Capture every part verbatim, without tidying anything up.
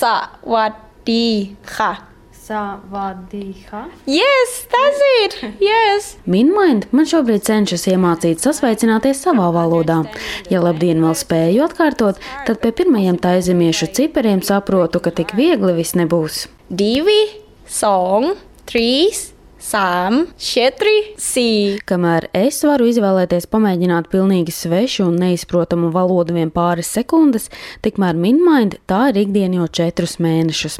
Savadīka. Savadīka? Yes, that's it! Yes! Minmind man šobrīd cenšas iemācīt sasveicināties savā valodā. Ja labdien vēl spēju atkārtot, tad pie pirmajiem taizemiešu cipariem saprotu, ka tik viegli viss nebūs. Divi, song, trīs, sām, četri, sī. Kamēr es varu izvēlēties pamēģināt pilnīgi svešu un neizprotamu valodu vien pāris sekundes, tikmēr Minmind tā ir ikdien jau četrus mēnešus.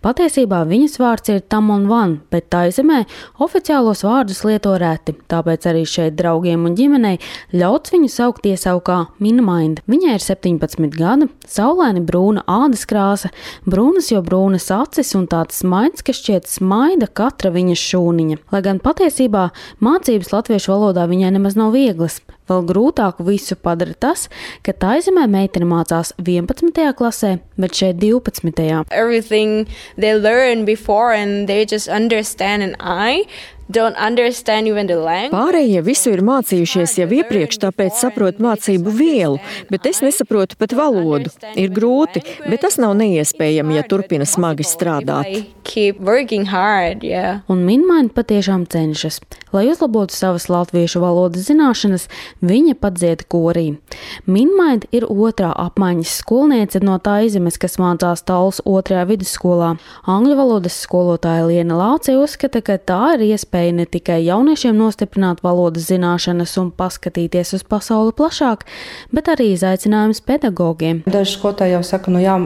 Patiesībā viņas vārds ir Tamon Van, bet taizemē oficiālos vārdus lieto reti, tāpēc arī šeit draugiem un ģimenei ļauts viņu saukt iesaukā Minmind. Viņai ir septiņpadsmit gadi, saulaini brūna ādas krāsa, brūnas jo brūnas acis un tāds smaids, kas šķiet smaida katra viņas šūniņa. Lai gan patiesībā mācības latviešu valodā viņai nemaz nav vieglas. Vēl grūtāku visu padara tas, ka taizemē meitene mācās vienpadsmitajā klasē, bet šeit divpadsmitajā. Everything they learn before and they just understand and I don't understand even the language. Pārējie visu ir mācījušies jau iepriekš, tāpēc saprot mācību vielu, bet es nesaprotu pat valodu. Ir grūti, bet tas nav neiespējami, ja turpina smagi strādāt. Keep working hard, yeah. Un Minmind patiešām cenšas. Lai uzlabotu savas latviešu valodas zināšanas, viņa pat dzied korī. Minmind ir otrā apmaiņas skolniece no Taizemes, kas mācās Tallas otrajā vidusskolā. Angļu valodas skolotāja Liena Lāce uzskata, ka tā ir iespēja ne tikai jauniešiem nostiprināt valodas zināšanas un paskatīties uz pasauli plašāk, bet arī izaicinājums pedagogiem. Daži skolotāji jau saka, nu jā,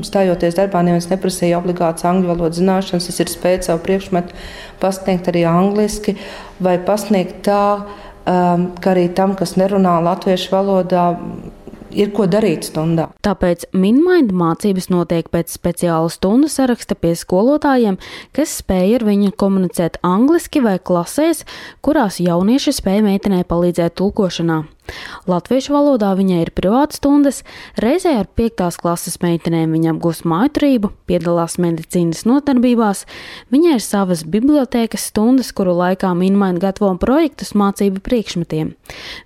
stājoties darbā, neviens neprasīja obligāts angļu valodas zināšanas, es ir spējis savu priekšmetu pasniegt arī angliski vai pasniegt tā, um, ka arī tam, kas nerunā latviešu valodā, ir ko darīt stundā. Tāpēc Minmind mācības notiek pēc speciāla stundu saraksta pie skolotājiem, kas spēj ar viņu komunicēt angliski vai klasēs, kurās jaunieši spēj meitenei palīdzēt tulkošanā. Latviešu valodā viņai ir privātas stundas, reizē ar piektās klases meitenēm viņa apgūst mājturību, piedalās medicīnas nodarbībās, viņai ir savas bibliotēkas stundas, kuru laikā Minmind gatavo projektus mācību priekšmetiem.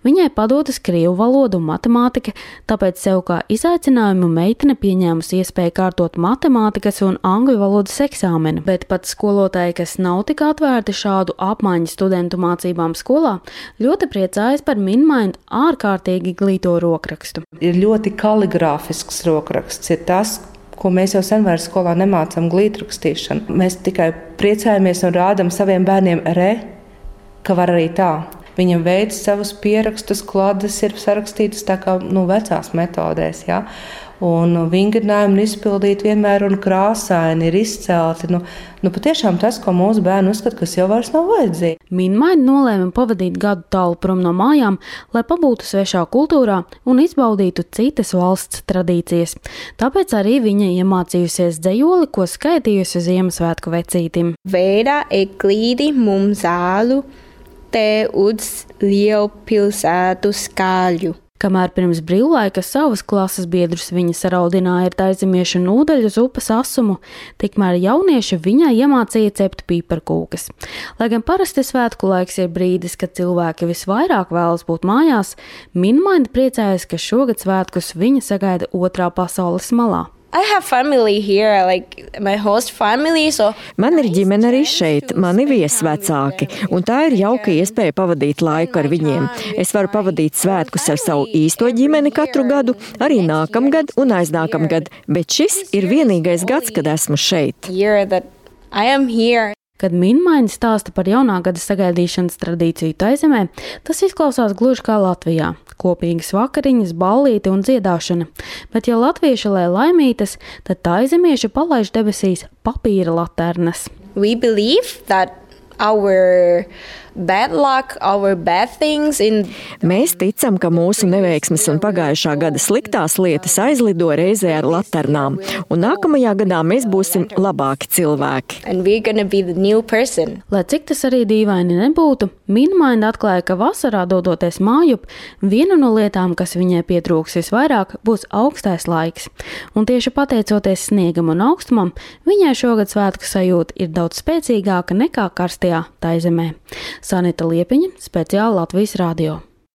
Viņai padotas krievu valoda un matemātika, tāpēc sev kā izaicinājumu meitene pieņēmusi iespēju kārtot matemātikas un angļu valodas eksāmenu, bet pat skolotāji, kas nav tik atvērti šādu apmaiņu studentu mācībām skolā, ļoti priecājas par Minmind ārkārtīgi glīto rokrakstu. Ir ļoti kaligrāfisks rokraksts, ir tas, ko mēs jau sen vairs skolā nemācām glītrakstīšanu. Mēs tikai priecājamies un rādam saviem bērniem re, ka var arī tā. Viņam veids savus pierakstus, klades ir sarakstītas tā kā nu, vecās metodēs, ja? Un vingrinājumi izpildīt vienmēr un krāsaini ir izcelti. Nu, nu patiešām tas, ko mūsu bērni uzskata, kas jau vairs nav vajadzīgi. Minmind nolēma pavadīt gadu tālu prom no mājām, lai pabūtu svešā kultūrā un izbaudītu citas valsts tradīcijas. Tāpēc arī viņa iemācījusies dzejoli, ko skaitījusi Ziemassvētku vecītim. Vēdā eklīdi mumzālu te uz lielpilsētu skaļu. Kamēr pirms brīvlaika savas klases biedrus viņa saraudināja ar taizemiešu nūdeļu uz upes asumu, tikmēr jaunieši viņai iemācīja cept pīparkūkas. Lai gan parasti svētku laiks ir brīdis, kad cilvēki visvairāk vēlas būt mājās, Minmind priecājas, ka šogad svētkus viņa sagaida otrā pasaules malā. I have family here, like my host family, so... Man ir ģimene arī šeit, mani viesvecāki, un tā ir jauka iespēja pavadīt laiku ar viņiem. Es varu pavadīt svētkus ar savu īsto ģimeni katru gadu, arī nākamgad un aiznākamgad, bet šis ir vienīgais gads, kad esmu šeit. I am here. Kad Minmind stāsta par jaunā gada sagaidīšanas tradīciju Taizemē, tas izklausās gluži kā Latvijā. Kopīgas vakariņas, ballīte un dziedāšana. Bet ja latvieši lai laimītas, tad taizemieši palaiž debesīs papīra laternas. We believe that our bad luck, our bad things in... Mēs ticam, ka mūsu neveiksmes un pagājušā gada sliktās lietas aizlido reizē ar laternām, un nākamajā gadā mēs būsim labāki cilvēki. And we're gonna be the new person. Lai cik tas arī dīvaini nebūtu, Minmind atklāja, ka vasarā dodoties mājup, viena no lietām, kas viņai pietrūks visvairāk, būs augstais laiks. Un tieši pateicoties sniegam un augstumam, viņai šogad svētku sajūta ir daudz spēcīgāka nekā karstajā Taizemē. Sanita Liepiņa, speciāli Latvijas radio.